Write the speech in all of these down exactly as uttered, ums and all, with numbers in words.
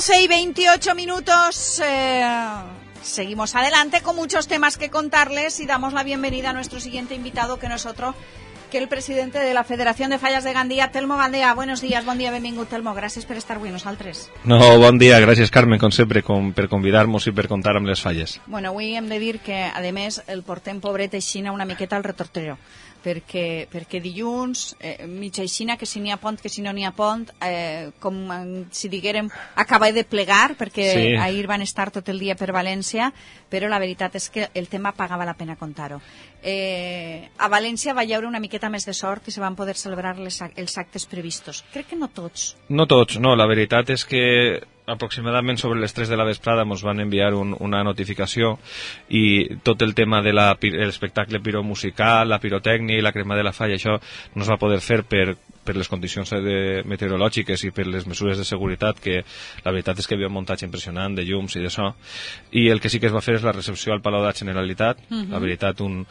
doce y veintiocho minutos. Eh, seguimos adelante con muchos temas que contarles y damos la bienvenida a nuestro siguiente invitado, que no es otro que el presidente de la Federación de Fallas de Gandia, Telmo Galdea. Buenos días, bon dia, benvingut, Telmo. Gràcies per estar avui nosaltres. No, bon dia, gràcies, Carmen, com sempre, com, per convidar-nos i per contar amb les falles. Bueno, avui hem de dir que, a més, el portem pobret aixina una miqueta al retortero, perquè, perquè dilluns, eh, mitja aixina, que si n'hi ha pont, que si no n'hi ha pont, eh, com si diguérem, acaba de plegar, perquè sí. Ahir van estar tot el dia per València, però la veritat és que el tema pagava la pena contar-ho. Eh, a València va hi haure una miqueta més de sort i se van poder celebrar les, els actes previstos. Crec que no tots. No tots, no. La veritat és que aproximadament sobre les tres de la vesprada ens van enviar un, una notificació i tot el tema de l'espectacle piromusical, la pirotècnia i la crema de la falla, això no es va poder fer per, per les condicions de, meteorològiques i per les mesures de seguretat, que la veritat és que hi havia un muntatge impressionant de llums i de so, i el que sí que es va fer és la recepció al Palau de la Generalitat. Uh-huh. La veritat, un,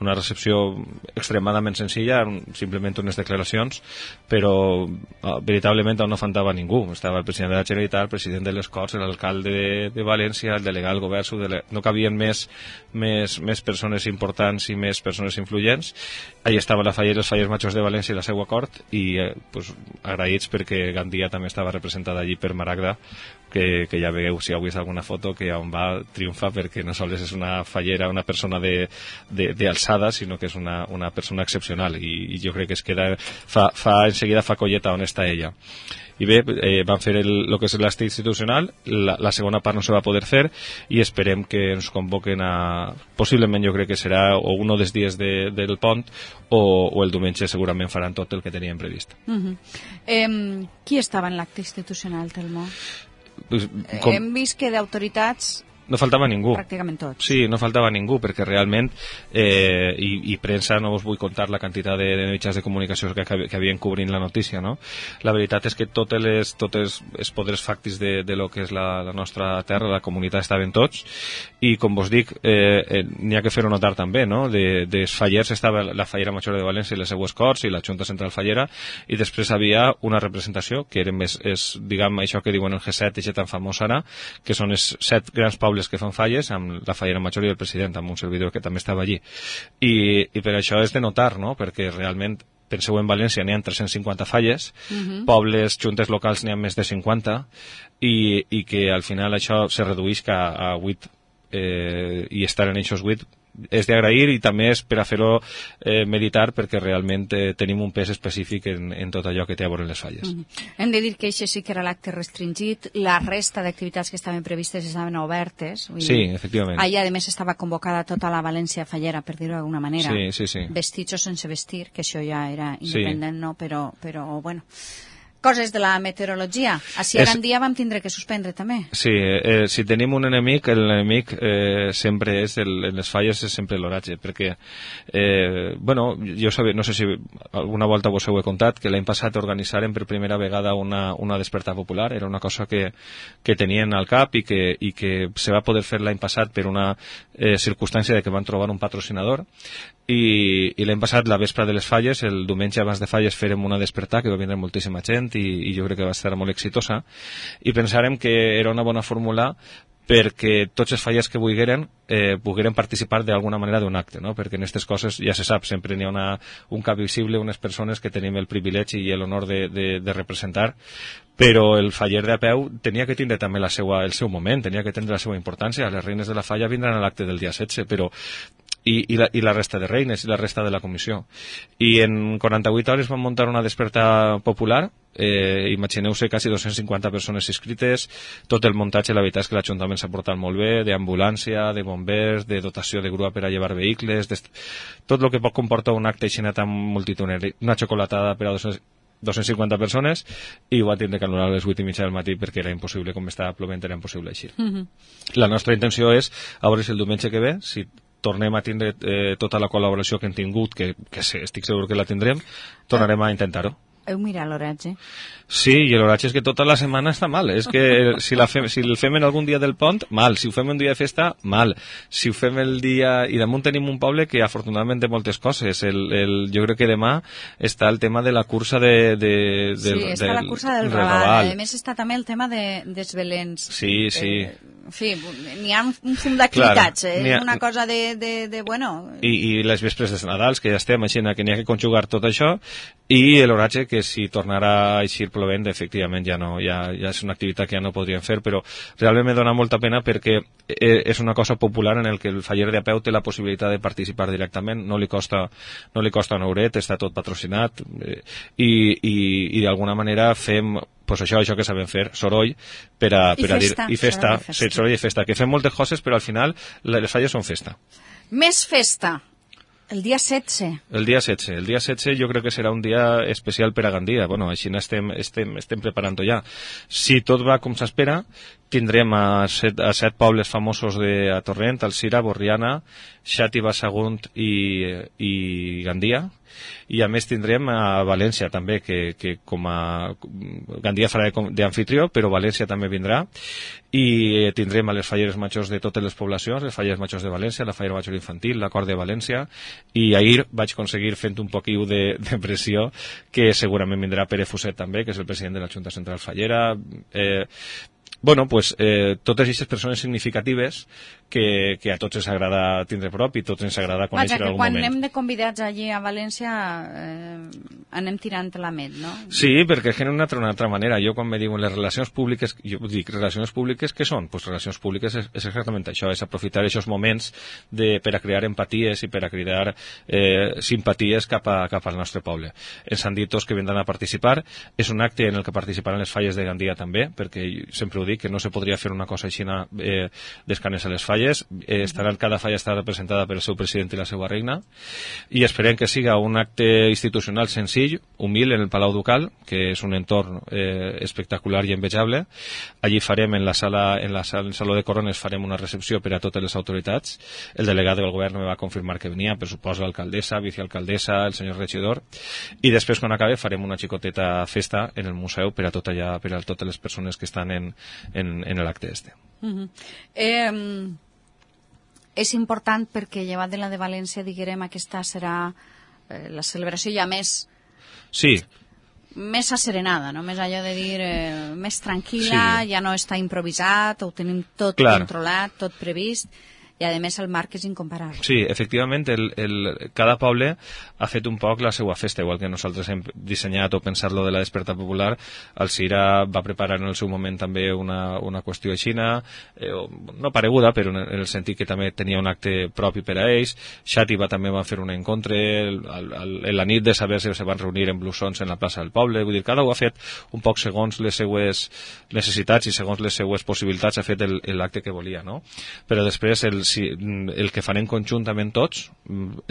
una recepció extremadament senzilla, simplement unes declaracions, però uh, veritablement on no faltava ningú. Estava el president de la Generalitat, el president de les Corts, l'alcalde de, de València, el delegat del govern, dele... no cabien més, més, més persones importants i més persones influents. Allà estava la falla, els fallers majors de València i la seva cort, i eh, pues, agraïts perquè Gandia també estava representada allí per Maragda, que, que ja veieu, si heu vist alguna foto, que on va triomfa perquè no sols és una fallera, una persona d'alçada, sinó que és una, una persona excepcional, i, i jo crec que es queda, fa, fa, enseguida fa colleta on està ella. I bé, eh, van fer el, el que és l'acte institucional, la, la segona part no se va poder fer i esperem que ens convoquen a, possiblement jo crec que serà o un dels dies de, del pont o, o el diumenge segurament faran tot el que teníem previst. Uh-huh. eh, qui estava en l'acte institucional, Telmo? Pues, com... Hem vist que d'autoritats... No faltava ningú. Pràcticament tots. Sí, no faltava ningú, perquè realment, eh, i, i premsa, no us vull contar la quantitat de, de mitjans de comunicació que, que havien cobrint la notícia, no? La veritat és que totes les, totes els poders fàctics de, de lo que és la, la nostra terra, la comunitat, estaven tots, i com vos dic, eh, eh, n'hi ha que fer-ho notar també, no? De, dels fallers estava la Fallera Major de València i les seues Corts i la Junta Central Fallera, i després havia una representació, que eren més, és, diguem, això que diuen el G set, i tan famós ara, que són els set grans pobles que fan falles, amb la Fallera Major i el president, amb un servidor que també estava allí. I, i per això és de notar, no? Perquè realment, penseu, en València n'hi ha tres-cents cinquanta falles, uh-huh. Pobles, juntes locals n'hi ha més de cinquanta, i, i que al final això se redueix a, a vuit, eh, i estar en aquests vuit és d'agrair, i també és per a fer-ho eh, meditar, perquè realment eh, tenim un pes específic en, en tot allò que té a veure les falles. Mm-hmm. Hem de dir que això sí que era l'acte restringit, la resta d'activitats que estaven previstes estaven obertes. Vull sí, dir, efectivament. Allà, a més, estava convocada tota la València fallera, per dir-ho d'alguna manera. Sí, sí, sí. Vestits o sense vestir, que això ja era independent, sí. No? Però, però, bueno... Coses de la meteorologia. Així a és... Gandia vam tindre que suspendre també. Sí, eh, si tenim un enemic, l'enemic eh, sempre és, el, en les falles és sempre l'oratge, perquè, eh, bueno, jo sabia, no sé si alguna volta vos ho he contat, que l'any passat organitzaren per primera vegada una, una despertar popular, era una cosa que, que tenien al cap i que, i que se va poder fer l'any passat per una eh, circumstància de que van trobar un patrocinador, i, i l'any passat, la vespre de les falles, el diumenge abans de falles, fèrem una despertar que va vindre moltíssima gent, i, i jo crec que va estar molt exitosa, i pensàrem que era una bona fórmula perquè tots els fallers que vulgueren eh, pogueren participar d'alguna manera d'un acte, no? Perquè en aquestes coses ja se sap, sempre n'hi ha una, un cap visible, unes persones que tenim el privilegi i l'honor de, de, de representar, però el faller de a peu tenia que tindre també la seva, el seu moment, tenia que tindre la seva importància. Les reines de la falla vindran a l'acte del dia setze, però I, i, la, i la resta de reines i la resta de la comissió. I en quaranta-vuit hores van muntar una desperta popular, eh, imagineu-se quasi dos-cents cinquanta persones inscrites, tot el muntatge, la veritat és que l'Ajuntament s'ha portat molt bé, d'ambulància, de bombers, de dotació de grua per a llevar vehicles, tot el que pot comportar un acte així tan multitudinari, una xocolatada per a dos-cents cinquanta persones, i ho va tindre que anul·lar a les vuit i mitja del matí perquè era impossible, com estava plovent, era impossible eixir. Mm-hmm. La nostra intenció és, a veure si el diumenge que ve, si tornem a tindre eh, tota la col·laboració que hem tingut, que, que estic segur que la tindrem, tornarem a intentar-ho. Heu mirat l'oratge? Sí, i l'oratge és que tota la setmana està mal. És que si, la fem, si el fem en algun dia del pont, mal. Si ho fem un dia de festa, mal. Si ho fem el dia... I damunt tenim un poble que afortunadament té moltes coses. El, el, jo crec que demà està el tema de la cursa de... de, de sí, del, està del, la cursa del Raval. A més està també el tema de, dels Belens. Sí, sí. Eh, en fi, n'hi ha un fum d'activitats, eh? Ha... Una cosa de, de, de bueno... I, I les vespres de Nadals, que ja estem, així que n'hi ha que conjugar tot això, i l'oratge, que si tornarà a eixir plovent, efectivament ja no, ja, ja és una activitat que ja no podríem fer, però realment me dona molta pena perquè és una cosa popular en el que el faller de a peu té la possibilitat de participar directament, no li costa, no li costa un euret, està tot patrocinat, eh, i, i, i d'alguna manera fem pues això, això que sabem fer, soroll, per a, per a dir, i festa, festa. Sí, soroll i festa, que fem moltes coses, però al final les falles són festa. Més festa. El dia setze. El dia setze. El dia setze jo crec que serà un dia especial per a Gandia. Bueno, així estem, estem, estem preparant-ho ja. Si tot va com s'espera, tindrem a set, a set pobles famosos de a Torrent, Alzira, Borriana, Xàtiva, Sagunt i, i Gandia. I a més tindrem a València també, que, que com a Gandia farà d'anfitrió, però València també vindrà, i tindrem a les falleres majors de totes les poblacions, les falleres majors de València, la fallera major infantil, la cor de València, i ahir vaig aconseguir fent un poquiu de, de pressió, que segurament vindrà Pere Fuset també, que és el president de la Junta Central Fallera. eh, Bueno, pues eh, totes aquestes persones significatives que, que a tots ens agrada tindre prop i a tots ens agrada conèixer en algun moment. Vaja, que quan anem de convidats allí a València eh, anem tirant la met, no? Sí, perquè és que d'una altra, una altra manera. Jo quan me diuen les relacions públiques, jo dic, relacions públiques què són? Pues relacions públiques és, és exactament això, és aprofitar aquests moments de, per a crear empaties i per a crear eh, simpaties cap, a, cap al nostre poble. Ens han dit tots que vindran a participar. És un acte en el que participaran les falles de Gandia també, perquè sempre ho dic, que no se podria fer una cosa així eh, d'escanes a les falles. Eh, estaran, cada falla estarà representada per el seu president i la seva regna, i esperem que siga un acte institucional senzill, humil, en el Palau Ducal, que és un entorn eh, espectacular i envejable. Allí farem, en la sala, en la sala, en el Saló de Corones, farem una recepció per a totes les autoritats. El delegat del govern me va confirmar que venia, per suposo l'alcaldessa, vicealcaldessa, el senyor regidor, i després, quan acabe, farem una xicoteta festa en el museu per a tot allà, per a totes les persones que estan en, en, en l'acte este. Uh -huh. eh, és important perquè, llevat de la de València, diguem, aquesta serà eh, la celebració ja més... Sí. Més asserenada, no? Més allò de dir eh, més tranquil·la, sí. Ja no està improvisat, ho tenim tot Clar. controlat, tot previst, i a més el marc és incomparable. Sí, efectivament, el, el, cada poble ha fet un poc la seva festa, igual que nosaltres hem dissenyat o pensat lo de la desperta popular. Alzira va preparar en el seu moment també una, una qüestió aixina, eh, no pareguda, però en el sentit que també tenia un acte propi per a ells. Xàtiva també va fer un encontre, el, el, el, la nit de saber si se van reunir en blusons en la plaça del poble, vull dir, cada un ha fet un poc segons les seues necessitats i segons les seues possibilitats ha fet l'acte que volia, no? Però després el si, el que farem conjuntament tots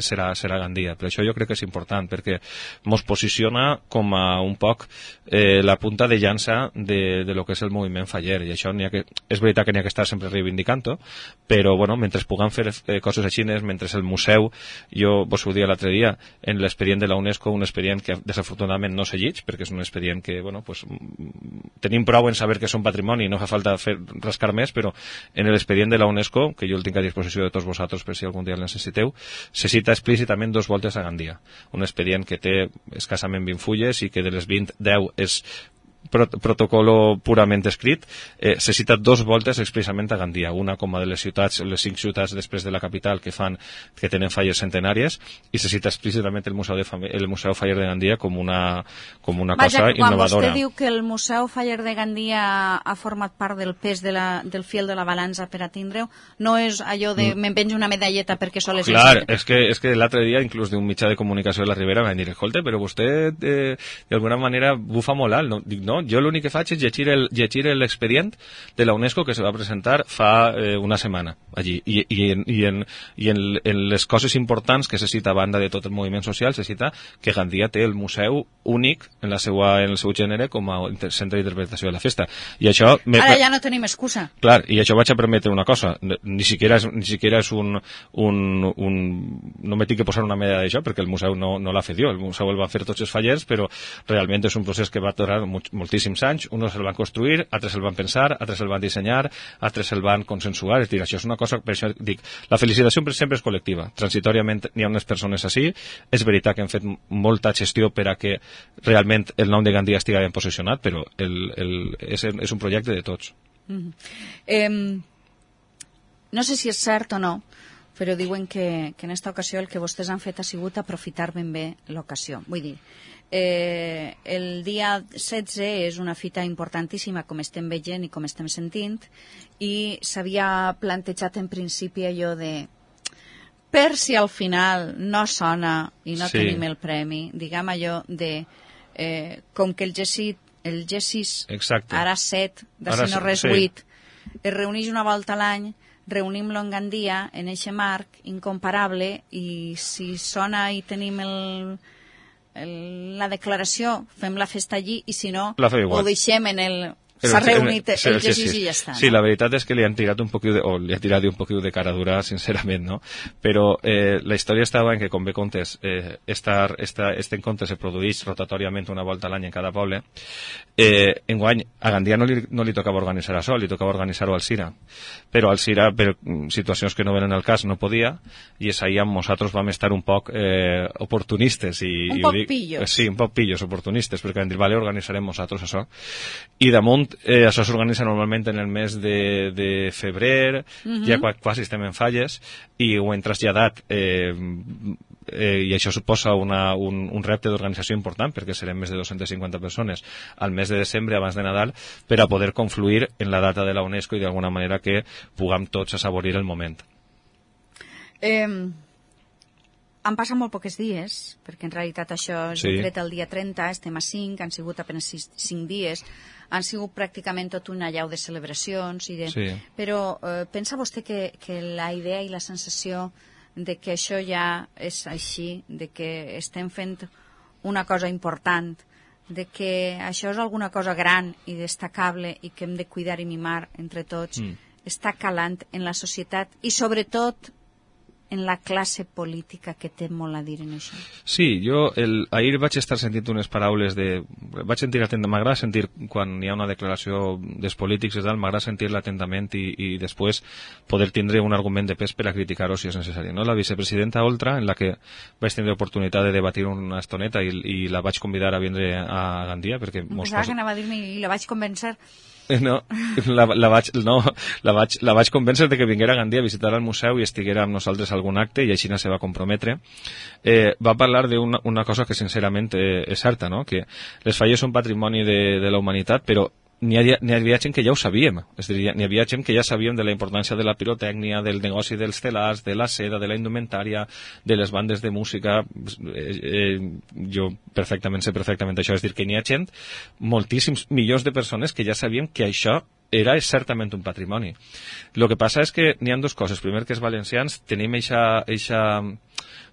serà, serà Gandia. Per això jo crec que és important, perquè ens posiciona com a un poc eh, la punta de llança de, de lo que és el moviment faller, i això ha que, és veritat que n'hi ha que estar sempre reivindicant-ho, però bueno, mentre puguem fer eh, coses així, mentre el museu, jo vos ho dia l'altre dia, en l'expedient de la UNESCO, un expedient que desafortunadament no segueix, perquè és un expedient que, bueno, pues, tenim prou en saber que és un patrimoni, no fa falta fer, rascar més, però en l'expedient de la UNESCO, que jo el tinc a disposició de tots vosaltres per si algun dia el necessiteu, se cita explícitament dos voltes a Gandia. Un expedient que té escassament vint fulles i que de les vint, deu és prot protocolo purament escrit, eh, se cita dos voltes expressament a Gandia, una com a de les ciutats, les cinc ciutats després de la capital que fan, que tenen falles centenàries, i se cita explícitament el Museu, de el Museu Faller de Gandia com una, com una Vaja, cosa innovadora. Quan vostè diu que el Museu Faller de Gandia ha format part del pes de la, del fil de la balança per a tindre-ho, no és allò de mm. me'n penjo una medalleta perquè sol és... Clar, és que, és que l'altre dia, inclús d'un mitjà de comunicació de la Ribera, m'han dit, escolta, però vostè eh, d'alguna manera bufa molt alt. No, dic, no, no? Jo l'únic que faig és llegir el, llegir l'expedient de la UNESCO que se va presentar fa eh, una setmana allí, i, i, en, i, en, i en, en les coses importants que se cita a banda de tot el moviment social, se cita que Gandia té el museu únic en, la seua, en el seu gènere com a centre d'interpretació de la festa. I això... Me... Ara ja no tenim excusa. Clar, i això vaig a permetre una cosa, ni siquiera és, ni siquiera és un, un, un... no me tinc que posar una medalla d'això, perquè el museu no, no l'ha fet jo, el museu el van fer tots els fallers, però realment és un procés que va durar moltíssims anys, uns el van construir, altres el van pensar, altres el van dissenyar, altres el van consensuar, és dir, això és una cosa, per això dic, la felicitació sempre és col·lectiva, transitòriament n'hi ha unes persones així, és veritat que hem fet molta gestió per a que realment el nom de Gandia estigui ben posicionat, però el, el, és, és un projecte de tots. Mm-hmm. eh, no sé si és cert o no, però diuen que, que en aquesta ocasió el que vostès han fet ha sigut aprofitar ben bé l'ocasió. Vull dir, eh, el dia setze és una fita importantíssima, com estem veient i com estem sentint, i s'havia plantejat en principi allò de per si al final no sona i no sí. tenim el premi, diguem allò de eh, com que el G sis, el G sis ara set, de ara, si no res sí. vuit, es reuneix una volta a l'any, reunim-lo en Gandia, en eixe marc incomparable, i si sona i tenim el, el, la declaració, fem la festa allí, i si no, ho deixem en el... S'ha reunit el, el G sis i ja està. Sí, no? La veritat és que li han tirat un poquillo de, o li ha tirat un poquillo de cara dura, sincerament, no? Però eh, la història estava en que, com bé contes, eh, estar, esta, este encontre se produeix rotatoriament una volta a l'any en cada poble. Eh, enguany, a Gandia no li, no li tocava organitzar això, li tocava organitzar-ho al Cira. Però al Cira, per situacions que no venen al cas, no podia, i és ahir amb nosaltres vam estar un poc eh, oportunistes. I, un i poc dic, pillos. Sí, un poc pillos, oportunistes, perquè vam dir, vale, organitzarem nosaltres això. I damunt, Eh, això s'organitza normalment en el mes de, de febrer, uh-huh. ja quasi estem en falles, i ho hem traslladat, eh, eh, i això suposa una, un, un repte d'organització important, perquè serem més de dues-centes cinquanta persones al mes de desembre, abans de Nadal, per a poder confluir en la data de la UNESCO i d'alguna manera que puguem tots assaborir el moment. Eh... Han passat molt pocs dies, perquè en realitat això es sí. decreta el dia trenta, estem a cinc, han sigut apenas cinc dies, han sigut pràcticament tot una llau de celebracions, i de... Sí. Però eh, pensa vostè que, que la idea i la sensació de que això ja és així, de que estem fent una cosa important, de que això és alguna cosa gran i destacable i que hem de cuidar i mimar entre tots, mm. està calant en la societat i sobretot en la classe política, que té molt a dir en això. Sí, jo el, ahir vaig estar sentint unes paraules de... Vaig sentir atentament, m'agrada sentir quan hi ha una declaració dels polítics i tal, m'agrada sentir-la atentament i, i després poder tindre un argument de pes per a criticar-ho si és necessari. No? La vicepresidenta Oltra, en la que vaig tenir oportunitat de debatir una estoneta i, i la vaig convidar a vindre a Gandia, perquè... Pensava cos... que anava a dir-me i la vaig convèncer. No, la, la, vaig, no la, vaig, la vaig convèncer de que vinguera a Gandia a visitar el museu i estiguera amb nosaltres a algun acte, i així no se va comprometre. Eh, va parlar d'una una cosa que sincerament eh, és certa, no? Que les falles són patrimoni de, de la humanitat, però n'hi havia, n'hi havia gent que ja ho sabíem, és a dir, n'hi havia gent que ja sabíem de la importància de la pirotècnia, del negoci dels telars, de la seda, de la indumentària, de les bandes de música. eh, eh, jo perfectament sé perfectament això, és dir, que n'hi ha gent, moltíssims milions de persones que ja sabíem que això era certament un patrimoni. El que passa és que n'hi ha dues coses. Primer, que els valencians tenim eixa, eixa,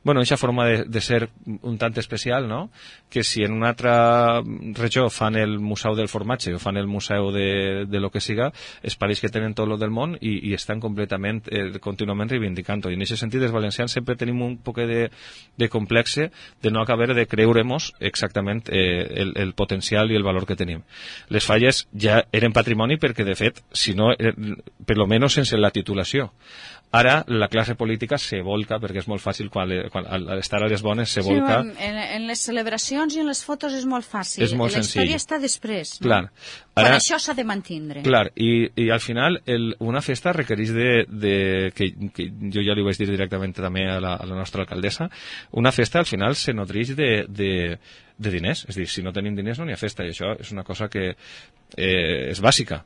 bueno, eixa forma de, de ser un tant especial, no? Que si en una altra regió fan el museu del formatge o fan el museu de, de lo que siga, es pareix que tenen tot lo del món i, i estan completament, eh, contínuament reivindicant-ho. I en aquest sentit, els valencians sempre tenim un poc de, de complexe de no acabar de creure-mos exactament eh, el, el potencial i el valor que tenim. Les falles ja eren patrimoni perquè, de fet, si no, eh, per lo menos sense la titulació. Ara la classe política se volca, perquè és molt fàcil, quan, le, quan al estar a les bones se volca... Sí, en, en les celebracions i en les fotos és molt fàcil. És molt la senzill. història està després. No? Clar. Ara, quan això s'ha de mantindre. Clar, i, i al final el, una festa requereix de... de que, que jo ja li vaig dir directament també a la, a la nostra alcaldessa, una festa al final se nodreix de... de de diners. És a dir, si no tenim diners no n'hi ha festa, i això és una cosa que eh, és bàsica.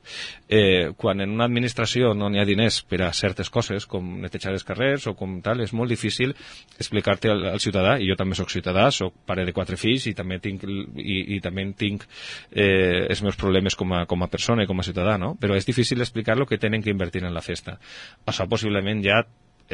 Eh, quan en una administració no n'hi ha diners per a certes coses, com netejar els carrers o com tal, és molt difícil explicar-te al, al ciutadà, i jo també soc ciutadà, soc pare de quatre fills i també tinc, i, i també tinc eh, els meus problemes com a, com a persona i com a ciutadà, no? Però és difícil explicar lo que tenen que invertir en la festa. Això possiblement ja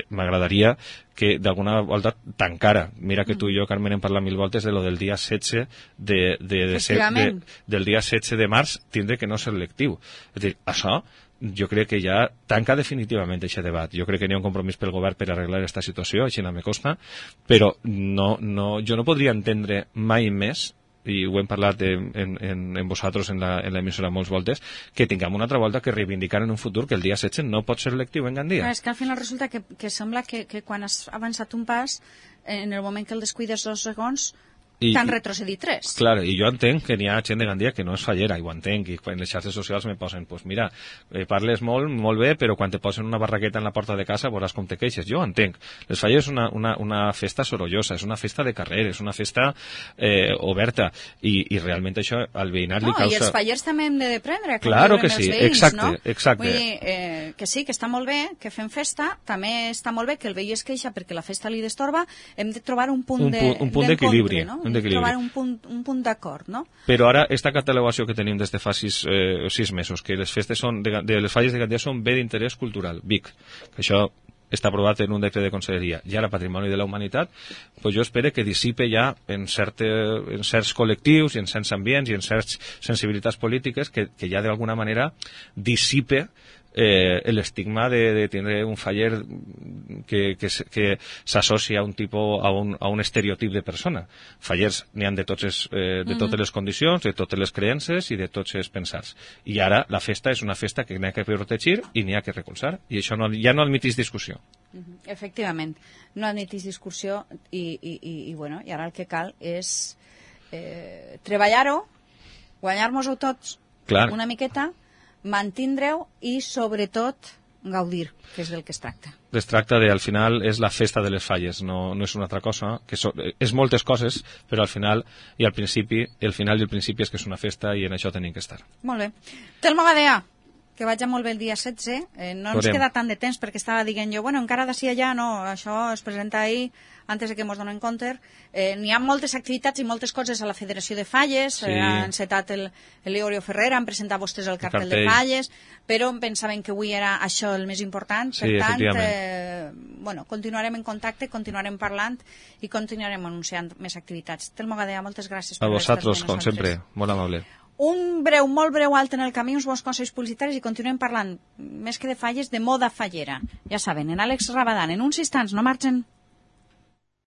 m'agradaria que d'alguna volta tancara. Mira que tu i jo, Carmen, hem parlat mil voltes de lo del dia setze de, de, de, ser, de, del dia setze de març tindre que no ser lectiu. És a dir, això jo crec que ja tanca definitivament aquest debat. Jo crec que n'hi ha un compromís pel govern per arreglar aquesta situació, així no me costa, però no, no, jo no podria entendre mai més, i ho hem parlat en, en, en vosaltres en l'emissora molts voltes, que tinguem una altra volta que reivindicar en un futur que el dia setze no pot ser lectiu en Gandia. És que al final resulta que, que sembla que, que quan has avançat un pas, en el moment que el descuides dos segons, t'han retrocedit tres. Clar, i jo entenc que n'hi ha gent de Gandia que no és fallera, i ho entenc, i en les xarxes socials me posen, pues mira, eh, parles molt, molt bé, però quan te posen una barraqueta en la porta de casa veuràs com te queixes. Jo ho entenc. Les falles és una, una, una festa sorollosa, és una festa de carrer, és una festa eh, oberta, i, i realment això al veïnat no, li causa... I els fallers també hem de prendre. Claro que sí, veïns, exacte, no? exacte. Vull dir, eh, que sí, que està molt bé, que fem festa, també està molt bé que el veí es queixa perquè la festa li destorba, hem de trobar un punt d'equilibri, no? Hem de trobar un punt un punt d'acord, no? Però ara, esta catalogació que tenim des de fa sis, eh, sis mesos, que les festes són de, de les falles de Gandia són bé d'interès cultural, B I C, que això està aprovat en un decret de conselleria, i ara Patrimoni de la Humanitat, pues jo espero que dissipe ja en, certe, en certs col·lectius i en certs ambients i en certs sensibilitats polítiques que, que ja d'alguna manera dissipe eh, l'estigma de, de tindre un faller que, que, que s'associa a un tipus, a un, a un estereotip de persona. Fallers n'hi han de, tots es, eh, de totes les condicions, de totes les creences i de tots els pensars. I ara la festa és una festa que n'hi ha que protegir i n'hi ha que recolzar. I això no, ja no admitís discussió. Efectivament, no admitís discussió i, i, i, i, bueno, i ara el que cal és eh, treballar-ho, guanyar-nos-ho tots Clar. Una miqueta, mantindre-ho i, sobretot, gaudir, que és del que es tracta. Es tracta de, al final, és la festa de les falles, no, no és una altra cosa, que so, és moltes coses, però al final i al principi, el final i el principi és que és una festa i en això tenim que estar. Molt bé. Telmo Gadea, que vaig molt bé el dia setze, eh, no ens queda tant de temps perquè estava dient jo, bueno, encara d'ací allà no, això es presenta ahir, antes de que ens donem compte. Eh, n'hi ha moltes activitats i moltes coses a la Federació de Falles, sí. eh, ha encetat el, el Leorio Ferrer, han presentat vostès el cartell, el cartell de Falles, però pensaven que avui era això el més important, per sí, tant, eh, bueno, continuarem en contacte, continuarem parlant i continuarem anunciant més activitats. Telmo Gadea, moltes gràcies per a vosaltres, com sempre, molt amable. Un breu, molt breu alt en el camí, uns bons consells publicitaris i continuem parlant, més que de falles, de moda fallera. Ja saben, en Àlex Rabadán, en uns instants, no marxen.